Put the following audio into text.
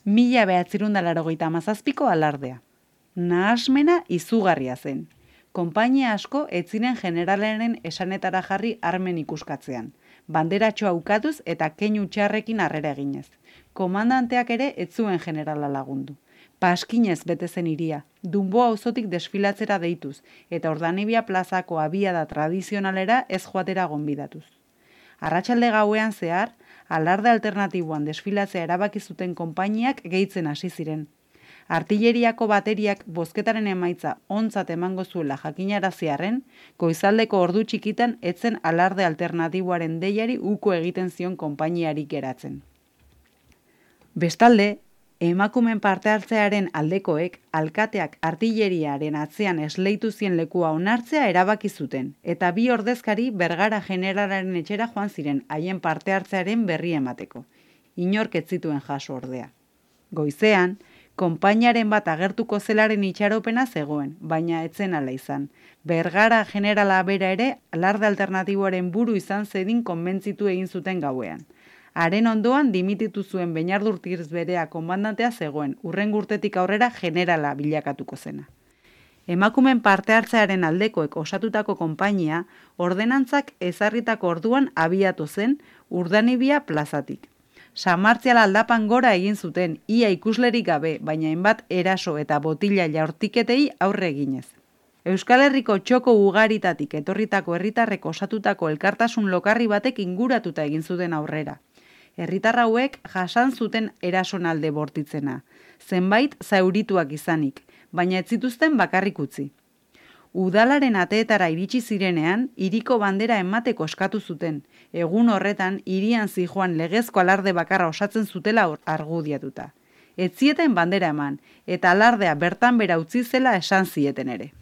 1987ko alardea. Nahasmena izugarria zen. Konpainia asko ez ziren generalaren esanetara jarri armen ikuskatzean. Banderatxoa ukatuz eta keinu txarrekin harrera eginez. Komandanteak ere ez zuen generala lagundu. Paskinez bete zen hiria, Dunboa auzotik desfilatzera deituz, eta Ordanibia plazako abiada tradizionalera ez joatera gonbidatuz. Arratsalde gauean zehar, alarde alternatiboan desfilatzea erabaki zuten konpainiak gehitzen hasi ziren. Artilleriako bateriak bozketaren emaitza ontzat emango zuela jakinaraziarren, goizaldeko ordu txikitan etzen alarde alternatiboaren deiari uko egiten zion konpainiarik geratzen. Bestalde, emakumen parte hartzearen aldekoek alkateak artilleriaren atzean esleitu zien lekua onartzea erabaki zuten, eta bi ordezkari Bergara generalaren etxera joan ziren haien parte hartzearen berri emateko. Inork ez zituen jaso ordea. Goizean, konpainiaren bat agertuko zelaren itxaropena zegoen, baina etzen ala izan. Bergara generala bera ere alarde alternatiboaren buru izan zedin konbentzitu egin zuten gauean. Haren ondoan dimititu zuen Beñardurtiz berea komandantea zegoen, hurrengo urtetik aurrera generala bilakatuko zena. Emakumen parte hartzearen aldekoek osatutako konpainia, ordenantzak ezarritako orduan abiatu zen Urdanibia plazatik. Samartzial aldapan gora egin zuten, ia ikuslerik gabe, baina hainbat eraso eta botila jaurtiketei aurre eginez. Euskal Herriko txoko ugaritatik etorritako herritarrek osatutako elkartasun lokarri batek inguratuta egin zuten aurrera. Herritar hauek jasan zuten erasonalde bortitzena, zenbait zaurituak izanik, baina ez zituzten bakarrik utzi. Udalaren ateetara iritsi zirenean, hiriko bandera emateko eskatu zuten, egun horretan hirian zijoan legezko alarde bakarra osatzen zutela argudiatuta. Ez zieten bandera eman, eta alardea bertan bera utzi zela esan zieten ere.